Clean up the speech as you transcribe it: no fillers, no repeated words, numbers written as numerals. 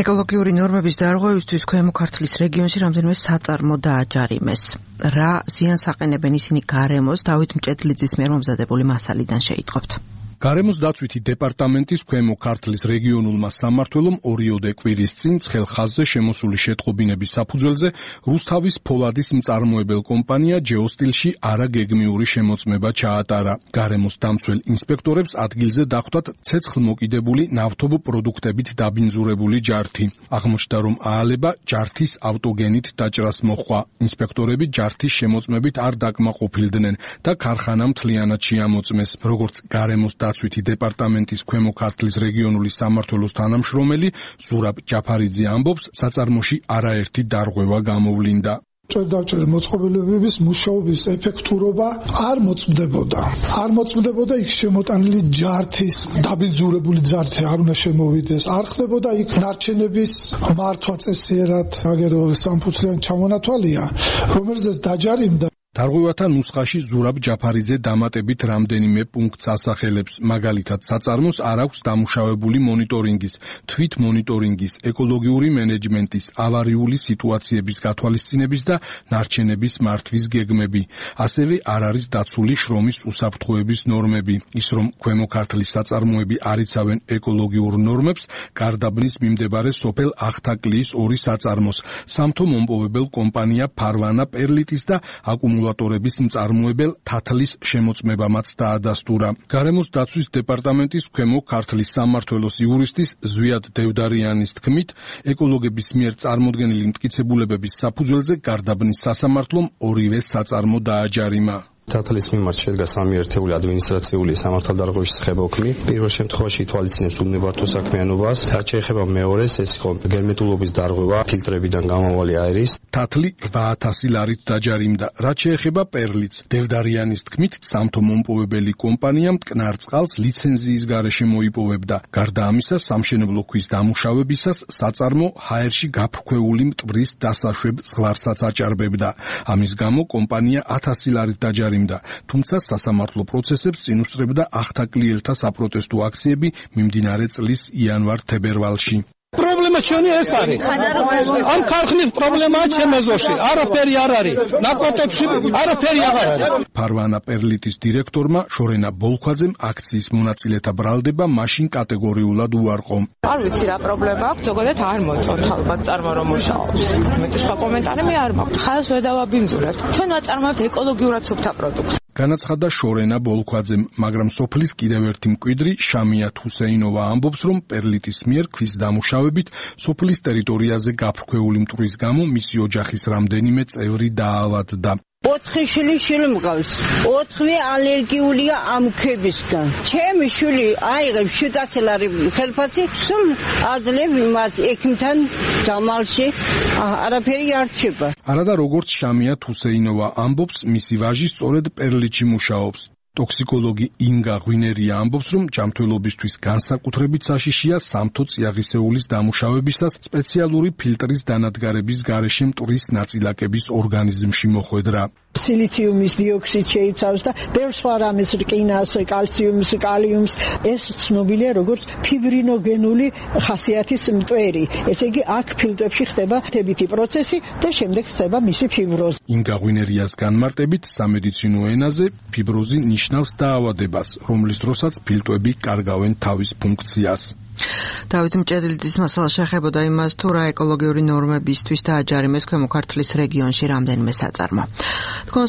ეკოლოგიური ნორმების დარღვევისთვის ქვემო ქართლის რეგიონში რამდენიმე საწარმო დააჯარიმეს. რა ზიანს აყენებენ ისინი გარემოს, დავით მჭედლიძის მიერ მომზადებული მასალიდან შეიტყობთ. გარემოს დაცვითი დეპარტამენტის ქვემო ქართლის რეგიონულმა სამმართველომ ორიოდე კვირის წინ ცხელ ხაზზე შემოსული შეტყობინების საფუძველზე რუსთავის ფოლადის მწარმოებელ კომპანია ჯეოსტილში არაგეგმიური შემოწმება ჩაატარა. გარემოს დამცველ ინსპექტორებს ადგილზე დახვდათ ცეცხლმოკიდებული ნავთობ პროდუქტებით დაბინძურებული ჯართი. აღმოჩნდა, რომ აალება ჯართის ავტოგენით დაჭრას მოჰყვა. ინსპექტორები ჯართის შემოწმებით არ დაკმაყოფილდნენ და ქარხანა მთლიანად შეამოწმეს. როგორც გარემოს დაცვითი დეპარტამენტის ქვემო ქართლის რეგიონული სამმართველოს თანამშრომელი ზურაბ ჯაფარიძე ამბობს, საწარმოში არაერთი დარღვევა გამოვლინდა. ჭერდაჭერა მოწყობილობების მუშაობის ეფექტურობა არ მოწმდებოდა იქ შემოტანილი ჯართის დაბინძურებული ჯართი არ უნდა შემოვიდეს, არ ხდებოდა იქ ნარჩენების მართვა წესიერად, აგერო სამფუცლიანი ჩამონათვალია, რომელზეც დაჯარიმდა. დარღვევათა ნუსხაში ზურაბ ჯაფარიძე დამატებით რამდენიმე პუნქტს ასახელებს, მაგალითად საწარმოს არ აქვს დამუშავებული მონიტორინგის, თვით მონიტორინგის, ეკოლოგიური მენეჯმენტის, ავარიული სიტუაციების გათვალისწინების და ნარჩენების მართვის გეგმები. ასევე არ არის დაცული შრომის უსაფრთხოების ნორმები. ის რომ ქვემო ქართლის საწარმოები არ იცავენ ეკოლოგიურ ნორმებს, გარდაბნის მიმდებარე სოფელ ახთაკლიის 2 საწარმოს, სამთო მომპოვებელ კომპანია ფარვანა პერლიტის და აკუმულატორების მწარმოებელ თათლის შემოწმებამაც დაადასტურა. გარემოს დაცვის დეპარტამენტის ქვემო ქართლის სამმართველოს იურისტის ზვიად დევდარიანის თქმით, ეკოლოგების მიერ წარმოდგენილი მტკიცებულებების საფუძველზე გარდაბნის სასამართლომ ორივე საწარმო დააჯარიმა. თათლის მიმართ შედგა 3 ერთეული ადმინისტრაციული სამართალდარღვევის ხებოქმი. პირველ შემთხვევაში ითვალისწინებს უბნებართო საქმიანობას, რაც შეეხება მეორეს, ეს იყო გერმეტულობის დარღვევა ფილტრებიდან გამავალი აირის. თათლი 8000 ლარით დაჯარიმდა. რაც შეეხება პერლიც, დევდარიანის თქმით, სამთო მომპოვებელი კომპანია მტკნარ წყალს ლიცენზიის გარეშე მოიპოვებდა. გარდა ამისა, სამშენებლო ქვის დამუშავებისას საწარმო ჰაერში გაფრქვეული მტვრის დასაშვებ ზღვარსაც აჭარბებდა. ამის გამო კომპანია 1000 ლარით დაჯარიმდა. თუმცა სასამართლო პროცესებს წინ უსწრებდა ახთაკლიელთა საპროტესტო აქციები მიმდინარე წლის იანვარ-თებერვალში. პრობლემა ჩვენი ეს არის. ამ ქარხნის პრობლემაა ჩემ ეზოში. არაფერი არ არის. ნაკვეთებში არაფერი აღარ არის. ფარვანა პერლიტის დირექტორმა შორენა ბოლქვაძემ აქციის მონაწილეთა ბრალდება მაშინ კატეგორიულად უარყო. არ ვიცი რა პრობლემა აქვს, ზოგადად არ მოწონთ ალბათ წარმო რომ მუშაობს. მეტი სხვა კომენტარი მე არ მაქვს. ხალხს ვედავაბინძურებთ. ჩვენ ვაწარმოებთ ეკოლოგიურად სუფთა პროდუქტს. განაცხადა შორენა ბოლქვაძემ, მაგრამ სოფლის კიდევ ერთი მკვიდრი შამიათ ჰუსეინოვა ამბობს, რომ პერლიტის მიერ ქვის დამუშავებით სოფლის ტერიტორიაზე გაფრქვეული მტვრის გამო მისი ოჯახის რამდენიმე წევრი დაავადდა. 4 შვილი მყავს. 4 ალერგიულია ამ ქვებისგან. ჩემი შვილი აიღებს 700 ლარი ხელფასი, სულ აძლევ იმას ექიმთან ჯამალში არაფერი არ რჩება. არადა როგორც შამიათ ჰუსეინოვა ამბობს, მისი ვაჟი სწორედ პერლიტში მუშაობს. ტოქსიკოლოგი ინგა ღვინერია ამბობს, რომ ჯანმრთელობისთვის განსაკუთრებით საშიშია სამთო წიაღისეულის დამუშავებისას სპეციალური ფილტრის დანადგარების გარეშე მტვრის ნაწილაკების ორგანიზმში მოხვედრა. სილიციუმის დიოქსიდს შეიცავს და ბევრ სხვა რამეს, რკინას, კალციუმს, კალიუმს. ეს ცნობილია როგორც ფიბრინოგენული ხასიათის მტვერი. ესე იგი, აქ ფილტრებში ხდება ხდებითი პროცესი და შემდეგ ხდება მისი ფიბროზი. ინგა ღვინერიას განმარტებით, სამედიცინო ენაზე ფიბროზი ნიშნავს დაავადებას, რომლის დროსაც ფილტვები კარგავენ თავის ფუნქციას. დავით მჭედლიძის მასალა შეეხებოდა იმას, თუ რა ეკოლოგიური ნორმებისთვის დააჯარიმეს ქვემო ქართლის რეგიონში რამდენიმე საწარმო. თქვენ